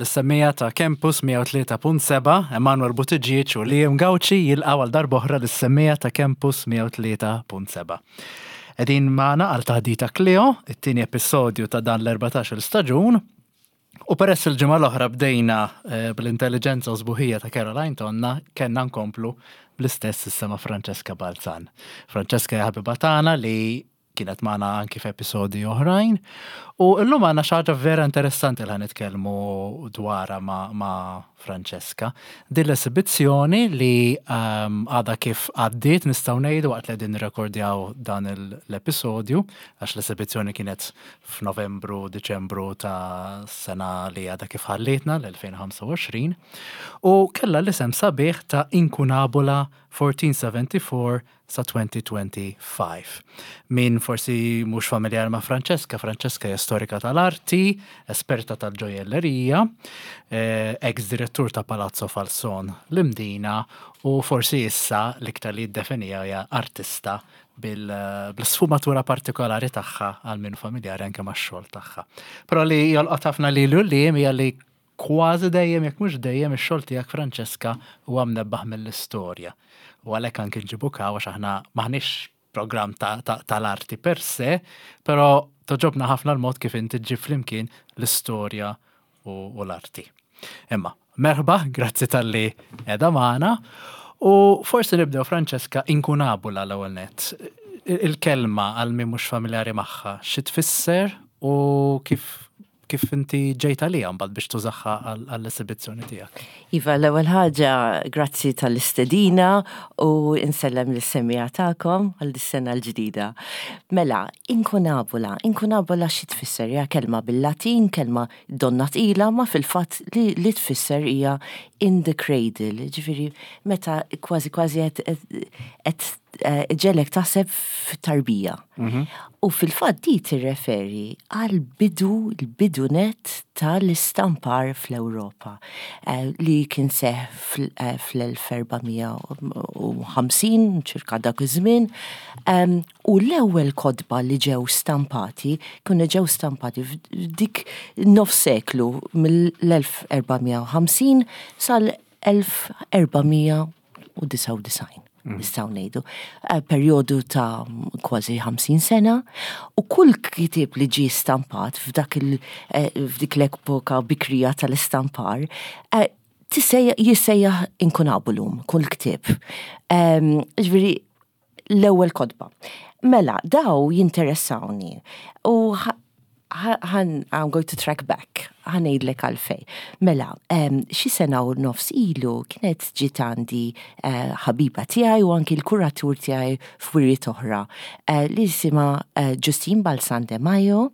Lis-semmiegħa ta' Campus 103.7, Emanuel Buttigieg u Liam Gauci jilqgħu għal darb'oħra lis-semmiegħa ta' Campus 103.7. Qegħdin magħna għal Taħdita Cleo, it-tieni episodju ta' dan l-14-il staġun. U peress il-ġimgħa l-oħra bdejna eh, bl-intelligenza u sbuħija ta' Caroline Tonna, kellna nkomplu bl-istess issa ma' Francesca Balzan. Francesca hija ħabiba tagħna li kienet magħna anki f'episodji oħrajn. U llum għandna xi ħaġa vera interessanti li nitkellmu dwarha ma', ma Francesca. Din l-esibizzjoni li ehm, għadha kif għaddiet nistgħu ngħidu waqt li qegħdin nirrekordjaw dan l-episodju, għax l-esibizzjoni kienet f'Novembru, Diċembru ta' sena li għadha kif ħallietna l-2025, u kellha l-isem sabiħ ta' Incunabula 1474 sa 2025. Min forsi mhux familjari ma' Francesca, Francesca hija storika tal-arti, esperta tal-ġojellerija, eh, ex-direttur ta' Palazzo Falson l-Imdina u forsi issa l-iktar li jiddefinija hija artista bil-sfumatura partikolari tagħha għal min familjari anke max-xogħol tagħha. Però li jolqot ħafna lilu li hija li Kważi dejjem jekk mhux dejjem ix-xogħol tiegħek Francesca huwa mnebbaħ mill-istorja. U għalhekk anki nġibuk hawn għax aħna m'aħniex programm tal-arti per se, però togħġobna ħafna l-mod kif inti ġġib flimkien l-istorja u l-arti. Imma, merħba, grazzi talli qiegħda magħna. U forsi nibdew Francesca inkunabula l-ewwel nett. Il-kelma għal min mhux familjari magħha, xi tfisser u kif kif inti ġejt għaliha mbagħad biex tużaha għall-esibizzjoni tiegħek? Iva, l-ewwel ħaġa, grazzi tal-istedina u insellem lis-semmiegħa tagħkom għal dis-sena l-ġdida. Mela, inkunabula, inkunabula xi tfisser? Hija kelma bil-Latin, kelma donna tqila, ma fil-fatt li, li tfisser hija in the cradle, ġifieri meta kważi kważi qed eh, ġelek taħseb f'tarbija. Mhm. U fil-fatt di tirreferi għal bidu l-bidu net tal-istampar fl-Ewropa eh, li kien seħ eh, fl-1450 ċirka dak iż-żmien u l-ewwel kotba li ġew stampati kienu ġew stampati f'dik nofs seklu mill-1450 sal-1499. Mm. Nistgħu ngħidu. Eh, perjodu ta' kważi 50 sena u kull kitib li ġie stampat f'dak il eh, f'dik l-epoka bikrija tal-istampar eh, jissejjaħ inkunabulum kull ktieb. Ehm, ġifieri l-ewwel kotba. Mela, daw jinteressawni u ħan, I'm going to track back, ħa ngħidlek għalfej. Mela, xi sena u nofs ilu kienet ġiet għandi eh, ħabiba tiegħi u anki l-kuratur tiegħi f'wiriet oħra eh, li jisimha eh, Justine Balzan de Majo u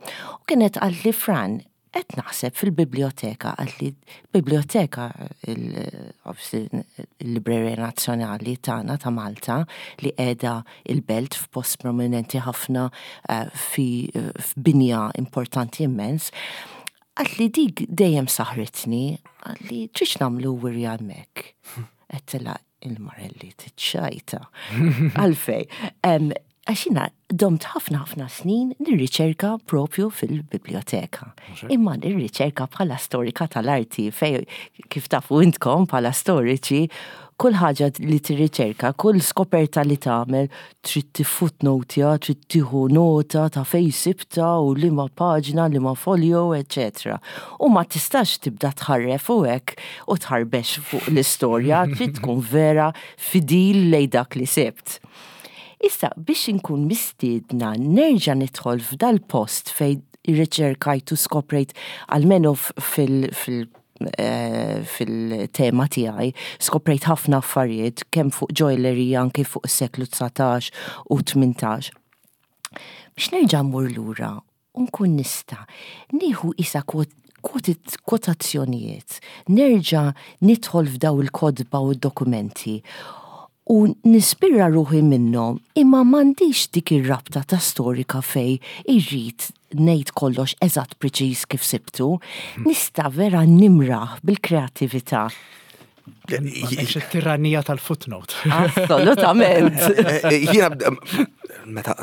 kienet qaltli Fran, qed naħseb fil-biblioteka, qaltli biblioteka il-Librerija Nazzjonali tagħna ta' Malta li qiegħda il-belt f'post prominenti ħafna eh, fi f'binja importanti immens. Qaltli dik dejjem saħritni, qaltli tridx nagħmlu wirja hemmhekk. Għedtilha il-Marelli tiċċajta. Għalfej. Għax jiena domt ħafna ħafna snin nirriċerka propju fil-biblioteka. Imma nirriċerka bħala storika tal-arti fej kif tafu intkom bħala storiċi kull ħaġa li tirriċerka, kull skoperta li tagħmel trid tiffootnotja, trid tieħu nota ta' fejn sibtha u liema paġna, liema folio, eċċetera. U ma tistax tibda tħarref u hekk u tħarbex fuq l-istorja, trid tkun vera fidil lejn dak li sibt. Issa biex inkun mistiedna nerġa' nidħol f'dal-post fejn irriċerkajt u skoprejt almenu fil-, fil Eh, fil-tema tiegħi skoprejt ħafna affarijiet kemm fuq joilery anke fuq is-seklu 19 u 18. Biex nerġa' mmur lura u nkun nista' nieħu isa kwotazzjonijiet, nerġa' nidħol f'daw il-kotba u d-dokumenti u nispira ruħi minnhom imma m'għandix dik ir-rabta ta' storika fejn irrid ngħid kollox eżatt preċiż kif sibtu, nista' vera nimraħ bil-kreattività. M'għandekx it-tirannija tal-footnote. Assolutament. Jiena meta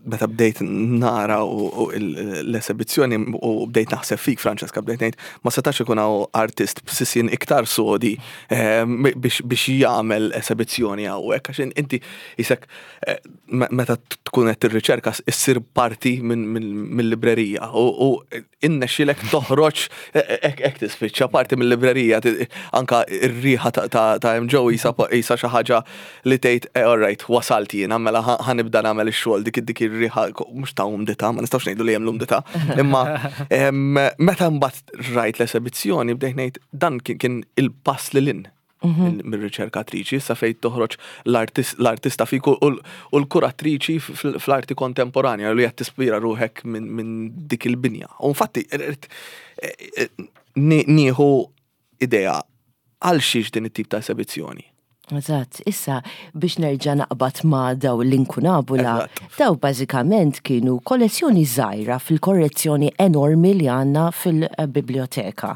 meta bdejt nara u l-esebizzjoni u bdejt naħseb fik, Francesca, bdejt ngħid ma setax ikun hawn artist b'sisien iktar sodi ehm, biex jagħmel esebizzjoni hawnhekk għax inti isek eh, meta tkun qed tirriċerka issir parti mill-librerija u innexxilek toħroġ hekk tispiċċa parti mill-librerija anka r-riħa ta' hemm ġew isa xi ħaġa li tgħid eh, all right wasalt jiena mela ħanibda nagħmel ix-xogħol dik dik ir-riħa mhux ta' umdità ma nistgħux ngħidu li hemm l-umdità imma meta mbagħad rajt l-esebizzjoni bdejt ngħid dan kien il-pass lil hinn mhm. mir-riċerkatriċi, sa fejn toħroġ l-artista fik u l-kuratriċi fl-arti kontemporanja li qed tispira ruħek minn dik il-binja. U infatti, er, er, er, nieħu idea għal xiex din it-tip ta' esebizzjoni. Eżatt, issa biex nerġa' naqbad ma' daw l-inkunabula, daw bażikament kienu kollezzjoni żgħira fil-korrezzjoni enormi li għandna fil-biblioteka.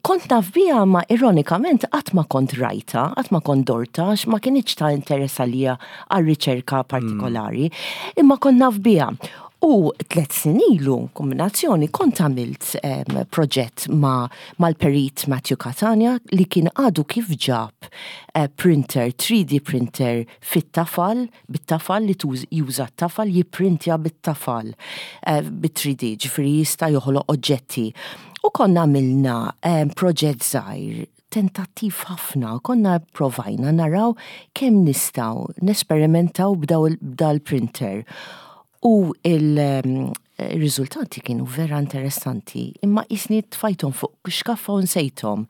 Kont naf biha ma ironikament qatt ma kont rajta, qatt ma kont dorta, għax ma kinitx ta' interess għalija għal riċerka partikolari, imma kont naf biha. U tlet snin ilu, kombinazzjoni, kont għamilt proġett ma' mal-perit Matthew Catania li kien għadu kif ġab eh, printer, 3D printer fit-tafal, bit-tafal li juża t-tafal, jipprintja bit-tafal eh, bit-3D, ġifieri jista' joħloq oġġetti. U konna għamilna proġett żgħir tentattiv ħafna, konna provajna naraw kemm nistgħu nesperimentaw b'dal-printer. U il-riżultati kienu vera interessanti, imma jisni tfajthom fuq xkaffa u nsejthom.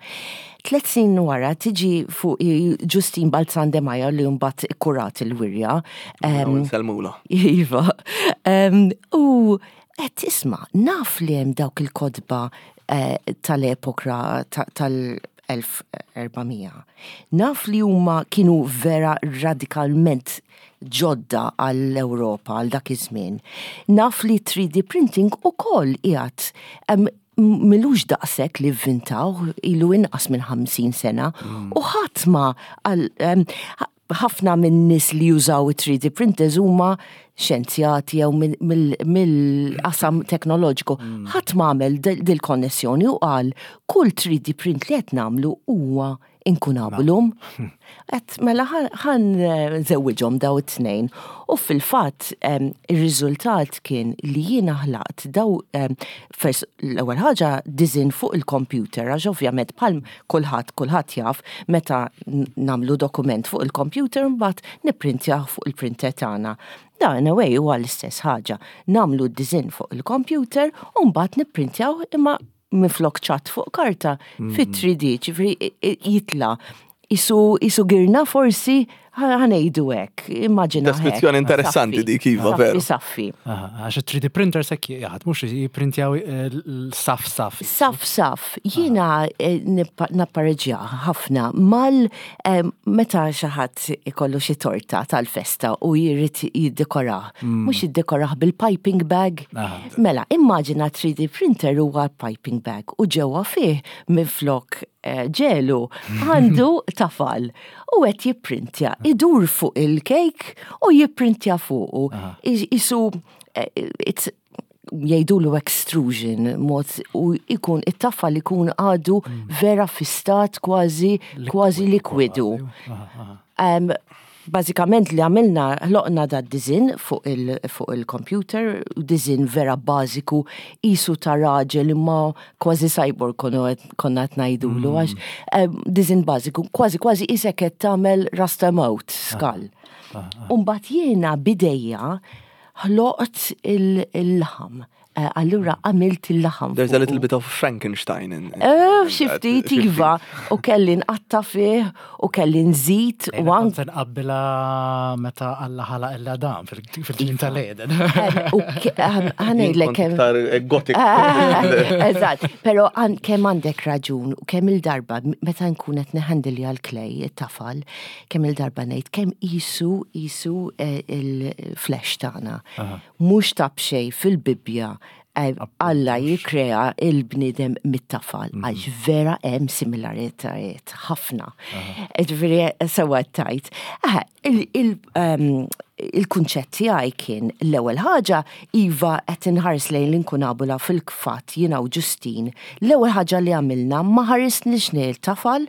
Tlet snin wara tiġi fuq Ġustin Balzan de Maja li mbagħad ikkurat il-wirja. Salmula. Iva. U qed tisma' naf li hemm dawk il-kotba eh, tal-epoka tal-1400. Naf li huma kienu vera radikalment ġodda għall-Ewropa għal dak iż-żmien. Naf li 3D printing ukoll qiegħed milux daqshekk li vvintaw ilu inqas minn 50 sena mm. u ħadd ma ħafna minn nies li jużaw 3D printers huma xjenzjati jew mill-qasam teknoloġiku. Mm. Ħadd ma għamel dil-konnessjoni u qal kull 3D print li qed nagħmlu huwa inkunabulum. Et mela ħan eh, żewwiġhom daw it-tnejn. U fil-fatt ir-riżultat kien li jiena ħlaqt daw fers l-ewwel ħaġa diżin fuq il-computer għax ovvjament bħal kulħadd kulħadd jaf meta nagħmlu dokument fuq il-computer mbagħad nipprintjah fuq il-printer tagħna. Da in a way huwa l-istess ħaġa. Nagħmlu d-diżin fuq il-computer u mbagħad nipprintjaw imma minflok ċatt fuq karta fit-3D, ġifieri jitla' isu isu girna forsi ħanejdu hekk, immaġina. Deskrizzjoni interessanti dik iva veru. Saffi. Għax 3D printer sekk jaħad, mhux jipprintjaw eh, saf saf. Saf saf. Jiena eh, nappareġġja ħafna mal eh, meta xi ħadd ikollu xi torta tal-festa u jrid jiddekorah. Mm. Mhux jiddekorah bil-piping bag. Mela, immaġina 3D printer huwa piping bag u ġewwa fih minflok eh, ġelu għandu tafal u qed jipprintja, idur fuq il-kejk u jipprintja fuqu. Isu eh, it's jgħidulu extrusion mod u ikun it-tafal ikun għadu mm. vera fi stat kważi kważi likwidu. Um, Bażikament li għamilna ħloqna da dizin fuq il-computer, il dizin vera bażiku isu ta' raġel imma kważi cyborg konna qed ngħidulu mm. għax eh, dizin bażiku kważi kważi isek qed tagħmel rasta mode skull. Ah, ah, ah. Umbagħad jiena bidejja ħloqt il-laħam. Eh, allura għamilt il-laħam. There's a little bit of Frankenstein in. Eh, xi ftit iva, u kelli nqatta fih, u kelli nżid u anke. Se nqabbilha meta Alla ħalaq l-Adam fil-ġnien iva. tal-Eden. U ħanejlek kemm. Gothic. Eżatt, però kemm għandek raġun u kemm il-darba meta nkun qed neħandilja l-klej it-tafal, kemm il-darba ngħid kemm isu isu eh, il-flesh tagħna. Mhux ta' b'xejn fil-Bibbja. Alla jikkrea il-bniedem mit-tafal mhm. għax vera hemm similaritajiet ħafna. Ġifieri sewwa tajt. Ehm, il-kunċett tiegħi kien l-ewwel ħaġa iva qed inħares lejn l-inkunabula fil-fatt jiena u Ġustin. L-ewwel ħaġa li għamilna ma ħarisniex lejn tafal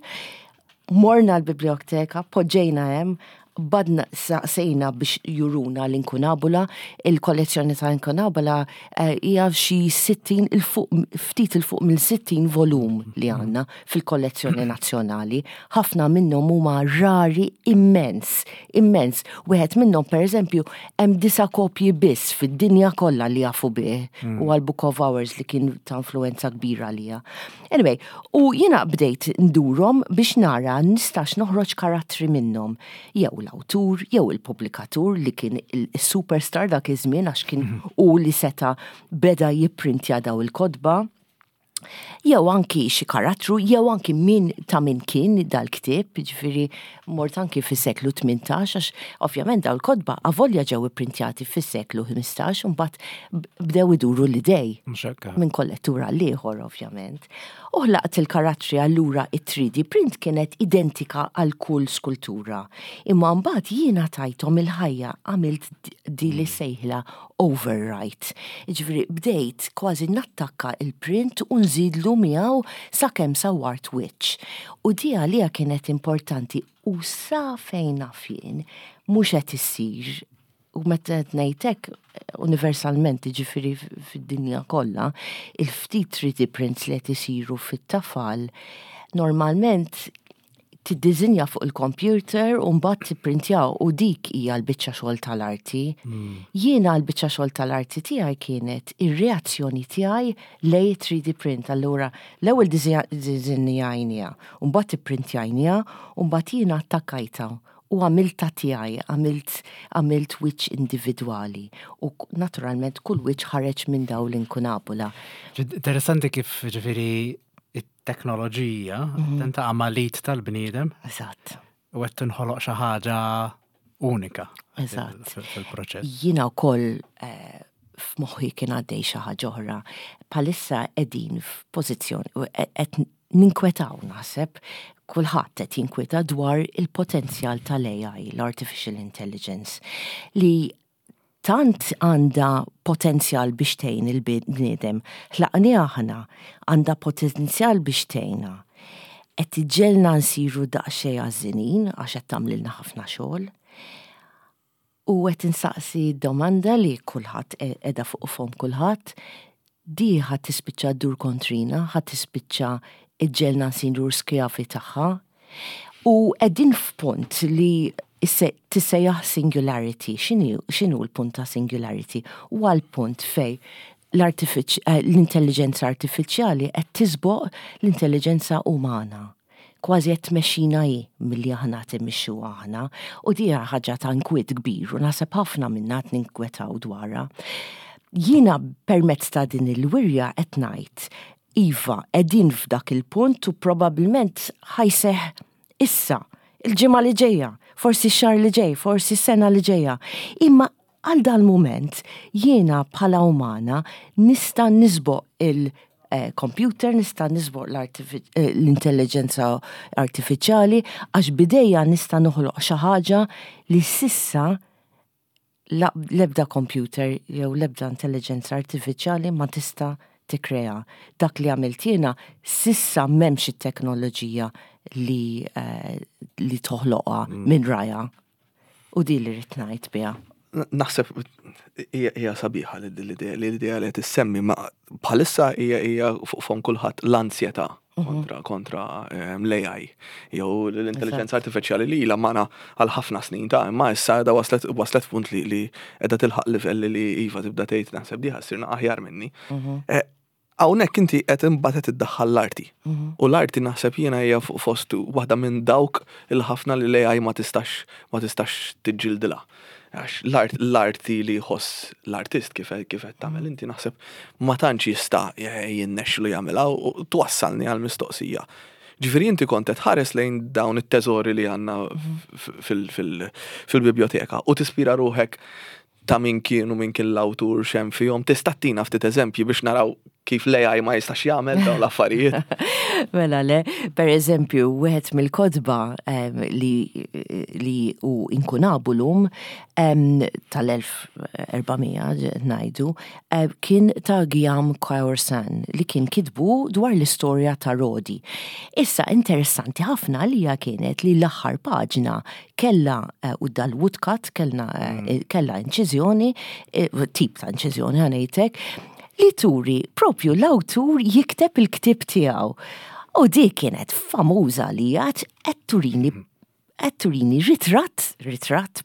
Morna l-biblioteka, poġġejna hemm, badna saqsejna biex juruna l-inkunabula, il-kollezzjoni ta' inkunabula eh, hija xi 60 il fuq ftit il fuq mill 60 volum li għandna fil-kollezzjoni nazzjonali. Ħafna minnhom huma rari immens, immens. Wieħed minnhom pereżempju hemm disa' kopji biss fid-dinja kollha li jafu bih mm. u għal Book of Hours li kien ta' influenza kbira għalija. Anyway, u jiena bdejt ndurhom biex nara nistax noħroġ karattri minnhom. Jew l-awtur, jew il-pubblikatur li kien il-superstar dak iż-żmien għax kien mhm. u li seta beda jipprintja daw il-kotba. Jew anki xi karattru, jew anki min ta' min kien dal-ktieb, ġifieri mort anki fis-seklu 18 għax ovvjament daw il-kotba avolja ġew ipprintjati fis-seklu 15 u mbagħad bdew iduru l-idej. Minn kollettur għal ieħor ovvjament. U ħlaqt il-karattri allura it-3D print kienet identika għal kull skultura. Imma mbagħad jiena tajthom il-ħajja għamilt di li mm. sejħla overwrite. Ġifieri bdejt kważi nattakka il-print u nżidlu miegħu sakemm sawwart wiċċ. U di għalija kienet importanti u sa fejn naf jien mhux qed issir u meta qed ngħid hekk universalment jiġifieri fid-dinja kollha, il-ftit 3D prints li qed isiru fit-tafal normalment tiddiżinja fuq il-computer u mbagħad tipprintjaw u dik hija l-biċċa xogħol tal-arti. Hmm. Jiena l-biċċa xogħol tal-arti tiegħi kienet ir-reazzjoni tiegħi lej 3D print. Allura l-ewwel diżinjajnija, u mbagħad ipprintjajnija u mbagħad jiena attakkajta u għamiltha tiegħi, għamilt għamilt wiċċ individwali u naturalment kull wiċċ ħareġ minn dawn l-inkunabula. Interessanti kif ġifieri it-teknoloġija mhm. tenta għamalit tal-bniedem. Eżatt. U qed tinħoloq xi ħaġa unika. Eżatt. Fil-proċess. Jiena wkoll eh, f'moħħi kien għaddej xi ħaġa oħra. Palissa qegħdin f'pożizzjoni qed ninkwetaw naħseb, kulħadd qed jinkwieta dwar il-potenzjal tal-AI, l-Artificial Intelligence, li tant għandha potenzjal biex tgħin il-bniedem. Ħlaqniha aħna, għandha potenzjal biex tgħinna. Qed iġġegħelna nsiru daqsxejn għażżinin għax qed tagħmlilna ħafna xogħol. U qed insaqsi domanda li kulħadd qiegħda fuq fomm kulħadd, di ħa tispiċċa ddur kontrina, ħa tispiċċa iġġegħelna nsiru skjavi tagħha. U qegħdin f'punt li tissejjaħ singularity. X'inhu l-punt ta' singularity? Huwa l-punt fejn l-intelliġenza artifiċjali qed tisboq l-intelliġenza umana. Kważi qed tmexxina hi milli aħna qed immexxuha aħna u di hija ħaġa ta' inkwiet kbir u naħseb ħafna minna qed ninkwetaw dwarha. Jiena permezz ta' din il-wirja qed ngħid iva qegħdin f'dak il-punt u probabbilment ħa jseħħ issa, il-ġimgħa li ġejja, forsi x-xahar li ġej, forsi s-sena li ġejja. Imma Għal dal-mument, jiena bħala umana nista' nisboq il-computer, nista' nisboq l-intelliġenza artifiċjali għax b'idejja nista' noħloq xi ħaġa li s'issa l-ebda computer jew l-ebda intelliġenza artifiċjali ma tista' tikkrea. Dak li għamilt jiena s'issa m'hemmx it-teknoloġija li li toħloqha minn rajha. U di li rrid ngħid biha. Naħseb hija sabiħa l-idea li qed issemmi ma bħalissa hija hija fuq fom kulħadd l-ansjetà mhm. kontra kontra ehm, l-AI jew l-intelligenza artifiċjali li ilha magħna għal ħafna snin ta' imma issa qiegħda waslet waslet punt li li qiegħda tilħaq livell li iva tibda tgħid naħseb diħa ssirna aħjar minni. Mhm. Eh, Hawnhekk inti qed imbagħad qed iddaħħal l-arti. Mhm. U l-arti naħseb jiena hija fuq fost waħda minn dawk il-ħafna li l-AI ma tistax ma tistax tiġġildilha. Għax l-arti li jħoss l-artist kif kif qed tagħmel inti naħseb ma tantx jista' jinnexxilu jagħmilha u twassalni għal mistoqsija. Ġifieri inti kont qed tħares lejn dawn it-teżori li għandna mhm. fil-biblioteka u tispira ruħek ta' min kienu min kien l-awtur x'hemm fihom. Tista' ttina ftit eżempji biex naraw kif l-AI ma jistax jagħmel dawn l-affarijiet? Mela le, per eżempju, wieħed mill-kotba li li hu inkunabulum tal-1400 ngħidu, kien ta' Guillaume Caoursin li kien kitbu dwar l-istorja ta' Rodi. Issa interessanti ħafna għalija kienet li l-aħħar paġna kellha u dal-woodcut kellna kellha inċiżjoni, tip ta' inċiżjoni ħa ngħidlek, li turi propju l-awtur jikteb il-ktieb tiegħu. U dik kienet famuża għalija qed turini qed turini ritratt, ritratt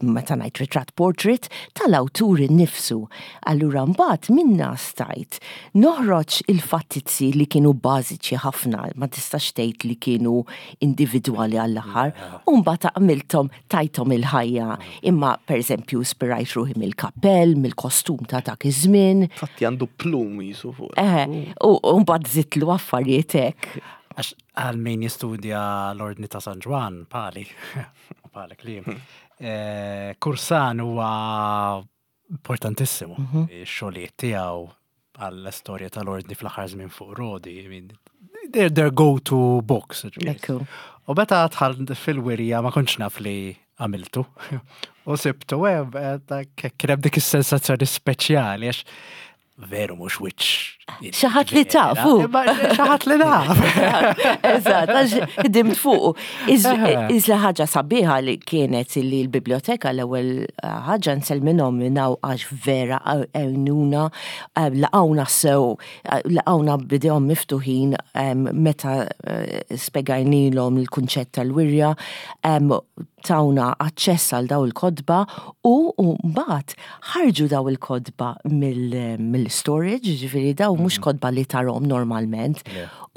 meta ngħid ritratt portrait tal-awtur innifsu. Allura mbagħad minna stajt noħroġ il-fattizzi li kienu bażiċi ħafna, ma tistax tgħid li kienu individwali għall-aħħar, u mbagħad għamilthom tajthom il-ħajja. Imma pereżempju spirajt ruħi mill-kappell, mill-kostum ta' dak iż-żmien. Fatti għandu plum jisu fuq. Eh, u mbagħad żidtlu affarijiet hekk. Għax għal min jistudja l-Ordni ta' San Ġwann, pali, u pali klim, eh, Kursan huwa importantissimu. Mhm. Ix-xogħlijiet tiegħu għall-istorja tal-ordni fl-aħħar żmien fuq Rodi, I mean, they're their go-to books. Ekku. U meta dħalt fil-wirja ma kontx naf li għamiltu. U sibtu, eh, eh, kien hemm dik is-sensazzjoni speċjali għax veru mhux wiċċ. Xi ħadd li tafu. Xi ħadd li naf. Eżatt, għax ħdimt fuqu. Iżla ħaġa sabiħa li kienet li l-biblioteka l-ewwel eh, ħaġa nsellminhom minn hawn għax vera għenuna eh, laqgħuna sew, eh, laqgħuna bidejhom miftuħin meta spjegajnilhom il-kunċett tal-wirja, tawna aċċess għal daw il-kotba u mbagħad ħarġu daw il-kotba mill-storage, jiġifieri daw mhux mm. kotba li tarhom normalment,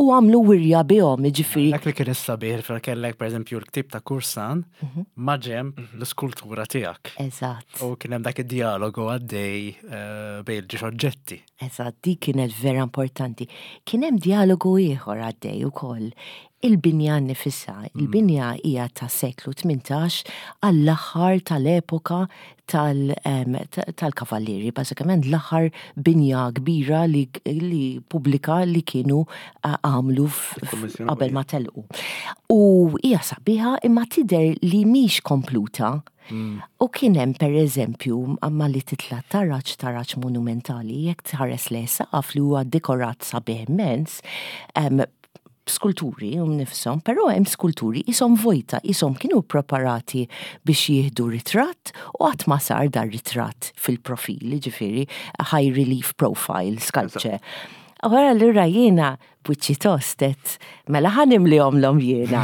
u għamlu wirja bihom, jiġifieri. Dak li kien is-sabiħ fil kellek pereżempju l-ktib ta' Kursan mhm. ma' ġemb mhm. l-iskultura tiegħek. Eżatt. U kien hemm dak id-dialogu għaddej eh, bejn ġiex oġġetti. Eżatt, dik kienet vera importanti. Kien hemm dialogu ieħor għaddej ukoll. Il-binja nnifisha, il-binja hija ta' seklu 18 għall-aħħar tal-epoka tal-kavallieri, bażikament l-aħħar binja kbira li, li pubblika li kienu għamlu qabel ma telqu. U hija sabiħa imma tidher li mhix kompluta. Mm. U kien hemm pereżempju malli titla' taraġ taraġ monumentali jekk tħares lejn saqaf li huwa dekorat sabiħ immens, skulturi um nifshom, però hemm skulturi ishom vojta, ishom kienu preparati biex jieħdu ritratt u qatt ma sar dar ritratt fil-profil, ġifieri high relief profile sculpture. Wara allura jiena b'wiċċi tost għedt, mela ħa nimlihomlhom jiena.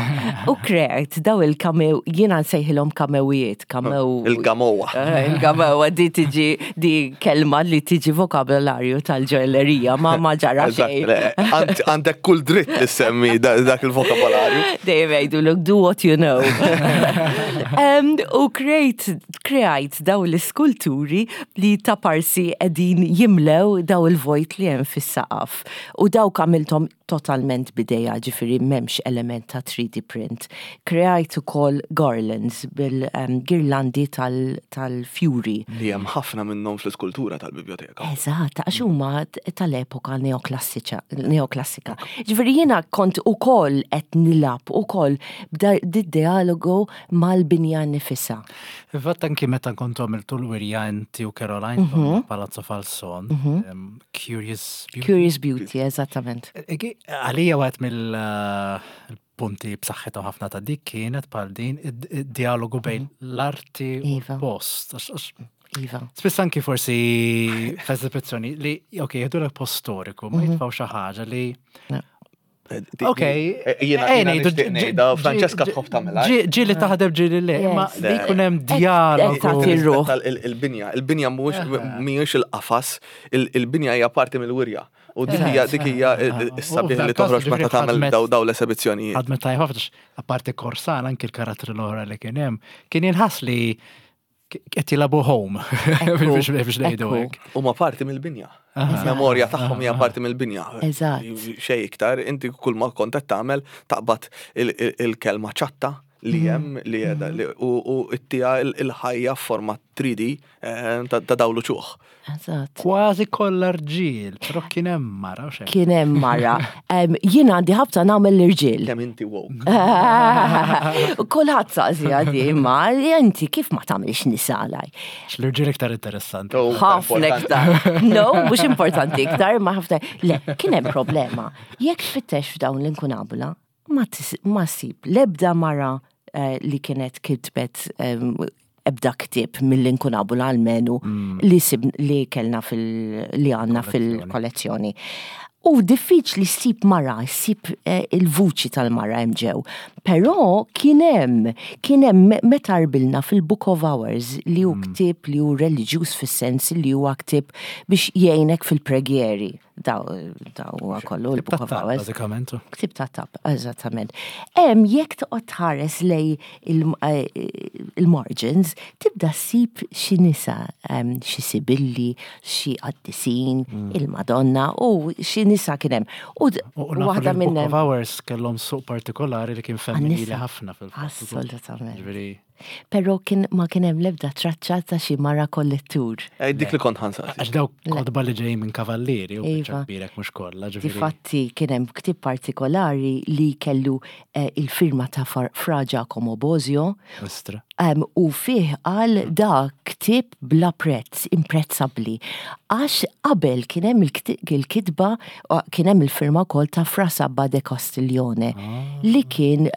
U kreajt daw il-kamew, jiena nsejħilhom kamewijiet, kamew. Il-gamowa. Eh, il-gamowa di tiġi di kelma li tiġi vokabolarju tal-ġoellerija ma ma ġara xejn. Għandek kull dritt li semmi dak il-vokabolarju. Dejjem jgħidu look do what you know. U krejt kreajt daw l-iskulturi li ta' parsi qegħdin jimlew daw il-vojt li hemm fis-saqaf. U dawk għamilthom totalment b'idejja, ġifieri m'hemmx element ta' 3D print. Kreajt ukoll garlands bil-girlandi tal-fjuri. Li hemm ħafna minnhom fl-iskultura tal-bibljoteka. Eżatt, għax huma tal-epoka neoklassika. Ġifieri jiena kont ukoll qed nilgħab ukoll b'did-dialogu mal-binja nnifisha. Fil-fatt anki meta kontu għamiltu l-wirja inti u Caroline mhm. Palazzo Falson, mhm. Curious Beauty. Curious Beauty, eżattament. E, e, għalija għat mill-punti b'saħħithom ħafna ta' dik kienet bħal din id-dialogu bejn mhm. l-arti u iva. l-post. Iva. Spiss anki forsi f'eżibizzjoni li, ok, jgħidu l post storiku, ma jitfaw xi ħaġa li Ok, jiena ngħidu Francesca tħobb tagħmilha. Ġieli taħdem ġieli le, imma li jkun hemm dialogu. Il-binja, il-binja mhuwiex il-qafas, il-binja hija parti mill-wirja. U dik hija dik hija s-sabiħ li toħroġ meta tagħmel daw l-esebizzjonijiet. Ħadmet tajjeb ħafna apparti Korsan anki l-karattri l-oħra li kien hemm, kien jinħass li qed jilagħbu home biex ngħidu hekk. Huma parti mill-binja. Memorja tagħhom hija parti mill-binja. Eżatt. Xejn iktar, inti kull ma kont qed tagħmel taqbad il-kelma ċatta. li hemm li qiegħda li u ttiha l-ħajja f'forma 3D ta' dawn l-uċuħ. Eżatt. Kważi kollha rġiel, però kien hemm mara u xejn. Kien hemm mara. Jien għandi ħabta nagħmel l-irġiel. Kemm inti woke. Kulħadd saqsi għadi, imma inti kif ma tagħmilx nisa għalaj? L-irġiel iktar interessanti. Oh, Ħafna iktar. No, mhux importanti iktar, ma ħafna. Le, kien hemm problema. Jekk tfittex f'dawn l-inkunabula, ma ssib l-ebda mara eh, li kienet kitbet ebda ktieb mill-inkunabula almenu mm. li sib li kellna fil li għandna fil-kollezzjoni. U diffiċli ssib mara, ssib eh, il-vuċi tal-mara hemm ġew. Però kien hemm, kien hemm meta rbilna fil-Book of Hours li hu mm. ktieb li hu reliġjuż fis-sens li huwa ktieb biex jgħinek fil-preghieri. Daw huwa kollu l-Book of Hours. Bażikament. Ktib ta' tab, eżattament. Hemm jekk toqgħod tħares lej eh, il-margins, tibda ssib xi nisa, xi sibilli, xi qaddisin, mm. il-Madonna u xi nisa kien hemm. U waħda minn Book of Hours kellhom suq partikolari li kien femminili ħafna fil-fatt. Assolutament. Però kien ma kien hemm l-ebda traċċa ta' xi mara kollettur. Eh, dik li kont ħansaqsi. Għax dawk kotba li ġejjin minn kavallieri u biċċa iva. kbirek mhux kollha, ġifieri. Difatti kien hemm ktieb partikolari li kellu eh, il-firma ta' Fra Giacomo Bosio. Ostra. U fih qal da ktieb bla prezz, imprezzabbli. Għax qabel kien hemm il-kitba, kien hemm il-firma wkoll ta' Fra Sabba de Castiglione ah. li kien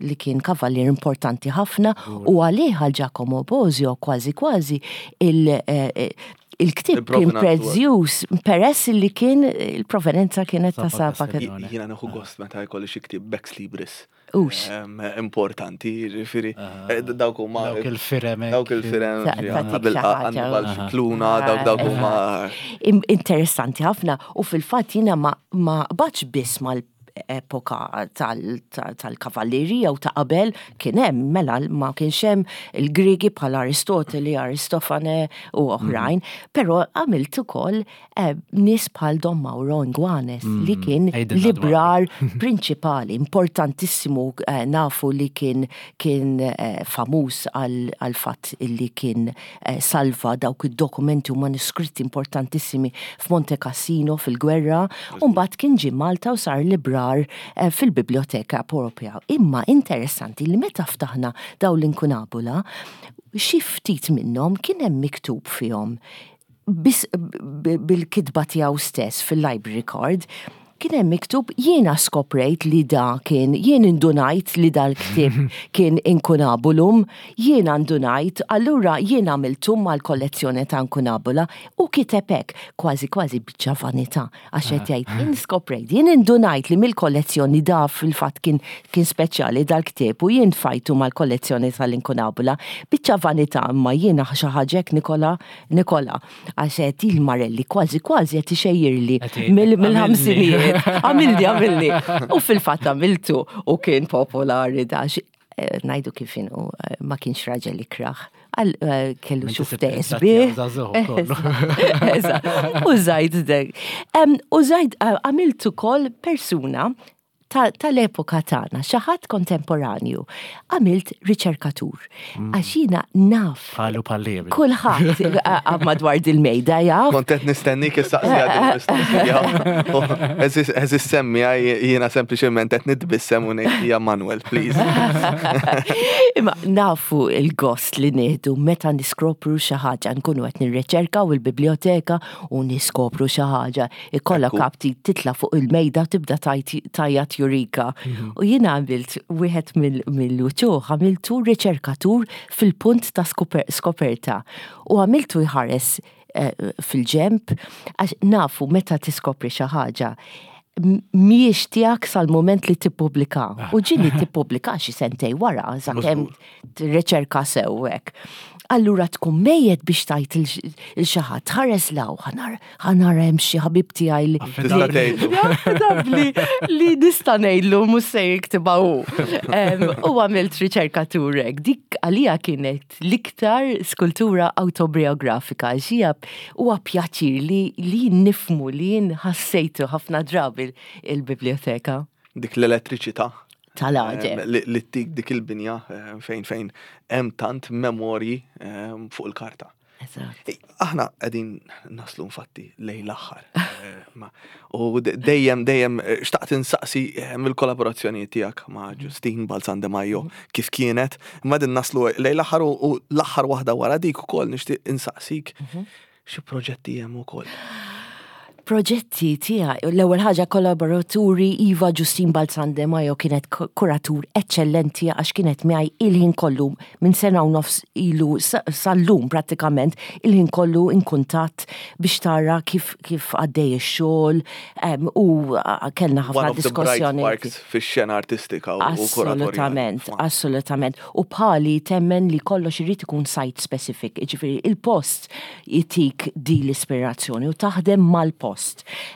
li kien kavallier importanti ħafna u għalih għal Giacomo Bosio kważi kważi il- eh, eh, il-ktib kien prezzjuż peress li kien il-provenenza kienet ta' Saba. Jiena nieħu gost meta jkolli xi ktieb Bex Libris. Ux. Importanti, ġifiri, eh, dawk huma. Dawk il-firem. Dawk il-firem. Għandbal xikluna, dawk dawk huma. Interessanti ħafna u fil-fatt jiena ma qbadx biss mal epoka tal-kavallerija u ta' qabel kien hemm mela ma kienx hemm il-Griegi bħal Aristoteli, Aristofane u oħrajn, mm. però għamilt ukoll Eh, nies bħal Don Mauro Inguanes mm, li kien librar prinċipali importantissimu eh, nafu li kien kien eh, famuż għal fatt li kien salva dawk id-dokumenti u manuskritti importantissimi f'Monte Cassino fil-gwerra u mbagħad kien ġie Malta u sar librar fil-Biblioteka Ewropea. Imma interessanti li meta ftaħna daw l-inkunabula xi ftit minnhom kien hemm miktub fihom Biss bil-kitba tiegħu stess fil-library card, kien hemm miktub jiena skoprejt li da kien, jien indunajt li dal-ktieb kien inkunabulum, jiena ndunajt, allura jien għamiltu mal-kollezzjoni ta' inkunabula u kiteb hekk, kważi kważi biċċa vanità, għax qed jgħid jien skoprejt, jien indunajt li mill-kollezzjoni da fil-fatt kien kien speċjali dal-ktieb u jien tfajtu mal-kollezzjoni tal-inkunabula, biċċa vanità imma jiena xi ħaġa hekk Nikola Nikola, għax qed il-Marelli kważi kważi qed ixejjirli mill-ħamsinijiet. Għamilni, għamilni. U fil-fatt għamiltu u kien popolari dax. Eh, najdu kif inhu, eh, ma kienx raġel ikraħ. Għal eh, kellu xufte sbieħ. U zajd dek. U zajd għamiltu kol persuna tal-epoka tagħna, xi ħadd kontemporanju, għamilt riċerkatur. Mm. Għax jiena naf. Bħalu bħalli. Kulħadd madwar dil-mejda jaf. Kont qed nistennik issaqsi għad Eżis semmi jiena sempliċement qed nitbissem u ngħid hija Manuel, please. Imma nafu il-gost li nieħdu meta niskopru xi ħaġa nkunu qed nirriċerkaw il-biblioteka u niskopru xi ħaġa Ikollok aptit titla' fuq il-mejda tibda tajjat jurika. Mhm. U jiena għamilt wieħed mill-uċuħ għamiltu riċerkatur fil-punt ta' skoperta u għamiltu jħares eh, fil-ġemp għax nafu meta tiskopri xi ħaġa miex tiegħek sal-moment li tippubblika. Ah. U ġili tippubblika xi sentej wara, sakemm riċerka sewwek. Allura tkun mejjet biex tajt il-xi ħadd ħares law, ħanara hemm xi ħabib tiegħi li. Affidabbli li nista' ngħidlu mhux se jiktibha hu. U għamilt riċerkaturek. Dik għalija kienet l-iktar skultura awtobiografika għax hija huwa pjaċir li li nifmu li jien ħassejtu ħafna drabi il-biblioteka. Dik l-elettriċità. Tal-għaġeb. Li ttik dik il-binja fejn fejn hemm tant memorji fuq il-karta. Aħna qegħdin naslu infatti lejn l-aħħar. U dejjem dejjem xtaqt insaqsi mill-kollaborazzjoni tiegħek ma' Ġustin Balzan De Majo kif kienet, imma din naslu lejn l-aħħar u l-aħħar waħda wara dik ukoll nixtieq insaqsik xi proġetti hemm ukoll. Proġetti tiegħi, l-ewwel ħaġa kollaboraturi Iva Ġustin Balzan De Majo kienet kuratur eċċellenti għax kienet miegħi il-ħin kollu minn sena u nofs ilu sal-lum prattikament il-ħin kollu in kuntatt biex tara kif kif għaddej ix-xogħol u kellna ħafna diskussjoni. Fix-xena artistika u Assolutament, assolutament. U bħali temmen li kollox irid ikun site specific, jiġifieri il-post jtik di l-ispirazzjoni u taħdem mal-post.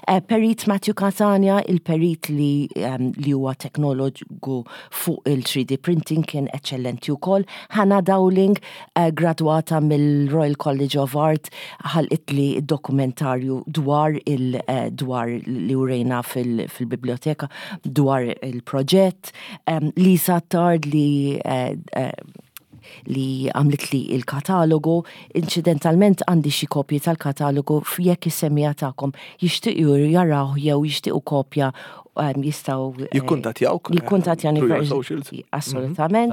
Eh, perit Matthew Catania, il-perit li, ehm, li huwa teknologu fuq il-3D printing kien eċċellenti wkoll. Hannah Dowling, eh, gradwata mill-Royal College of Art, ħalqit li dokumentarju dwar il eh, dwar li urejna fil-biblioteka dwar il-proġett. Ehm, Lisa Tard li li għamlet li il-katalogu. Inċidentalment għandi xi kopji tal-katalogu jekk is-semmiegħa tagħkom jixtiequ jaraw jew jixtiequ kopja jistgħu Jikkuntattjawk. Jikkuntattjani through your socials. Assolutament.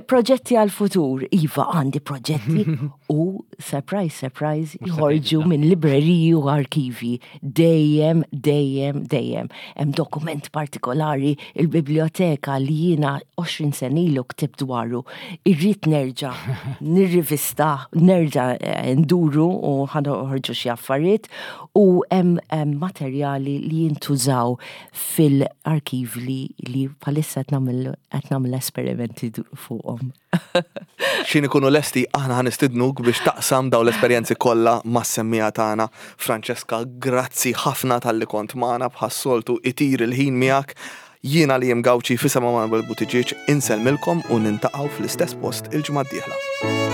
Proġetti għal-futur, iva għandi proġetti u surprise, surprise, jħorġu minn libreriji u arkivi dejjem, dejjem, dejjem. Hemm dokument partikolari il-biblioteka li jiena 20 sena ilu ktibt dwaru. Irrid nerġa' nirrivista, nerġa' eh, nduru u ħanoħorġu xi affarijiet u hemm materjali li jintużaw fil-arkiv li li bħalissa qed nagħmel esperimenti fuqhom. X'ħin ikunu lesti aħna ħa nistidnuk biex taqsam dawn l-esperjenzi kollha mas-semmiegħa tagħna. Francesca, grazzi ħafna talli kont magħna bħas-soltu itir il-ħin miegħek. Jiena Liam Gauci f'isem Emanuel Buttigieg insellmilkom u nintaqgħu fl-istess post il-ġimgħa d-dieħla.